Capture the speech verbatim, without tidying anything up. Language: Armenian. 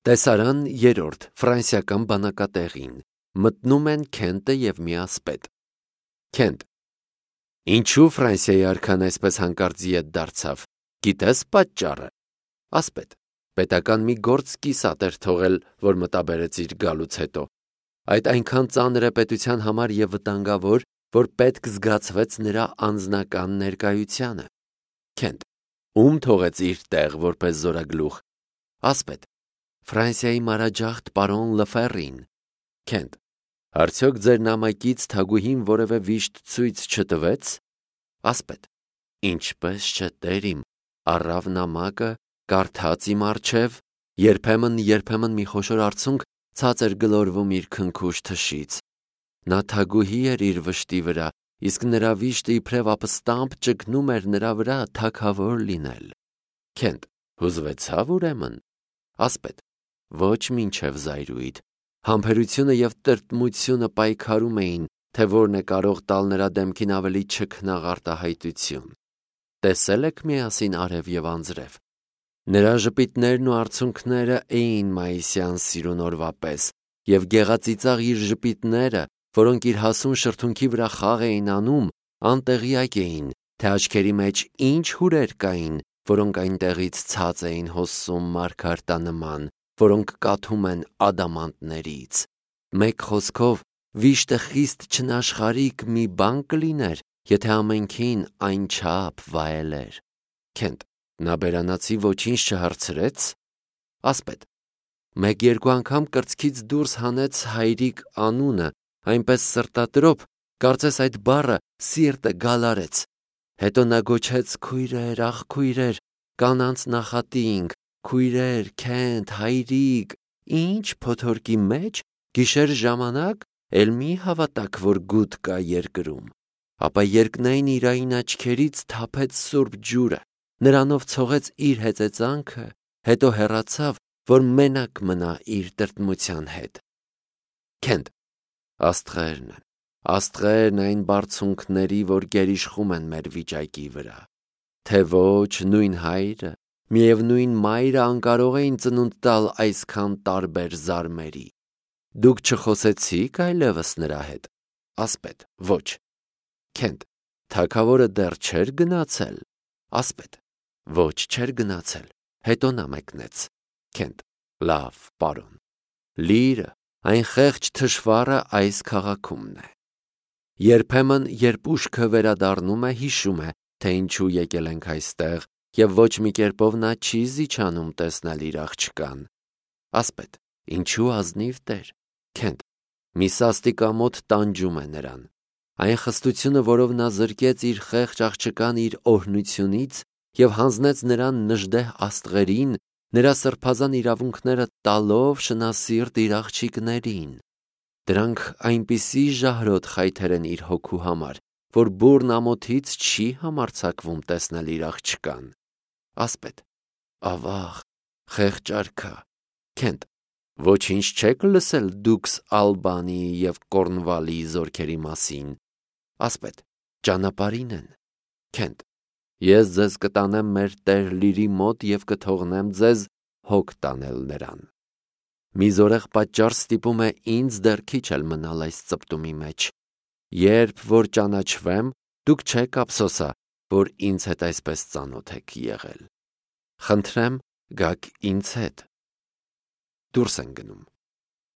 Տեսարան երրորդ ֆրանսիական բանակատեղին մտնում են Քենտը և մի ասպետ։ Քենտ. Ինչու Ֆրանսիայի արքան այսպես հանկարծ ետ դարձավ, գիտես պատճառը։ Ասպետ. պետական մի գործ կիսատ էր թողել, որ մտաբերեց իր գալուց հետո։ Այդ այնքան ծանր է պետության համար և վտանգավոր, որ պետք զգացվեց նրա անձնական ներկայությանը։ Քենտ. Ում թողեց իր տեղ որպես զորագլուխ։ Ասպետ. Ֆրանսիայի մանրաջախտ պարոն Լըֆերին։ Քենտ. Արդյոք ձեր նամակից թագուհին որևէ վիշտ ցույց չտվեց։ Ասպետ. Ինչպես չէ, տեր իմ, առավ նամակը, կարդաց իմ առջև, երբեմն երբեմն մի խոշոր արցունք ցած էր գլորվում իր քնքուշ թշից։ Նա թագուհի էր իր վշտի վրա, իսկ նրա վիշտը իբրև ապստամբ ճգնում էր նրա վրա թագավոր լինել։ Քենտ. Հուզվեցավ ուրեմն։ Ասպետ. Ոչ մինչև զայրույթ։ Համբերությունը և տրտմությունը պայքարում էին, թե որն է կարող տալ նրա դեմքին ավելի չքնաղ արտահայտություն։ Տեսել եք միասին արև և անձրև։ Նրա ժպիտներն ու արցունքները էին մայիսյան սիրուն օրվա պես, և գեղածիծաղ իր ժպիտները, որոնք իր հասուն շրթունքի վրա խաղ էին անում, անտեղյակ էին, թե աչքերի մեջ ինչ հուրեր կային, որոնք այնտեղից ցած էին հոսում մարգարտանման, որոնք կաթում են ադամանդներից։ Մեկ խոսքով, վիշտը խիստ չնաշխարհիկ մի բան կլիներ, եթե ամենքին այնչափ վայելեր։ Քենտ. Նա բերանացի ոչինչ չհարցրեց։ Ասպետ. Մեկ-երկու անգամ կրծքից դուրս հանեց հայրիկ անունը, այնպես սրտատրոփ, կարծես այդ բառը սիրտը գալարեց։ Հետո նա գոչեց քույրեր, ախ քույրեր, կանանց նախատինք, քույրեր, Քենտ, հայրիկ, ինչ փոթորկի մեջ, գիշեր ժամանակ, էլ մի հավատաք, որ գութ կա երկրում։ Ապա երկնային իրային աչքերից թափեց սուրբ ջուրը, նրանով ցողեց իր հեծեծանքը, հետո հեռացավ, որ մենակ մնա իր տրտմության հետ։ Քենտ. Աստղերն են, աստղերն այն բարձունքների, որ գերիշխում են մեր վիճակի վրա։ Թե ոչ նույն հայրը, միևնույն մայրը անկարող էին ծնունդ տալ այսքան տարբեր զարմերի։ Դուք չխոսեցի՞ք այլևս նրա հետ։ Ասպետ. Ոչ։ Քենտ. Թագավորը դեռ չէր գնացել։ Ասպետ. Ոչ, չէր գնացել, հետո նա մեկնեց։ Քենտ. Լավ, պարոն։ Լիրը, այն խեղճ թշվառը այս քաղաքումն է։ Երբեմն, երբ ուշքը վերադառնում է, հիշում է, թե ինչու եկել ենք այստեղ, և ոչ մի կերպով նա չի զիջանում տեսնել իր աղջկան։ Ասպետ. Ինչու ազնիվ տեր։ Քենտ. մի սաստիկամոթ տանջում է նրան։ Այն խստությունը, որով նա զրկեց իր խեղճ աղջկան իր օրհնությունից և հանձնեց նրան նժդեհ աստղերին, նրա սրբազան իրավունքները տալով շնասիրտ իր աղջիկներին։ Դրանք այնպիսի ժահրոտ խայթեր են իր հոգու համար, որ բուռն ամոթից չի համարձակվում տեսնել իր աղջկան։ Ասպետ. Ավաղ, խեղճ արքա։ Քենտ. Ոչինչ չեք լսել դուքս Ալբանիի և Կորնվալի զորքերի մասին։ Ասպետ. Ճանապարհին են։ Քենտ. Ես ձեզ կտանեմ մեր տեր Լիրի մոտ և կթողնեմ ձեզ հոգ տանել նրան։ Մի զորեղ պատճառ ստիպում է ինձ դեռ քիչ էլ մնալ այս ծպտումի մեջ։ Երբ որ ճանաչվեմ, դուք չեք ափսոսա, որ ինձ հետ այսպես ծանոթ եք եղել։ Խնդրեմ, գաք ինձ հետ։ Դուրս են գնում։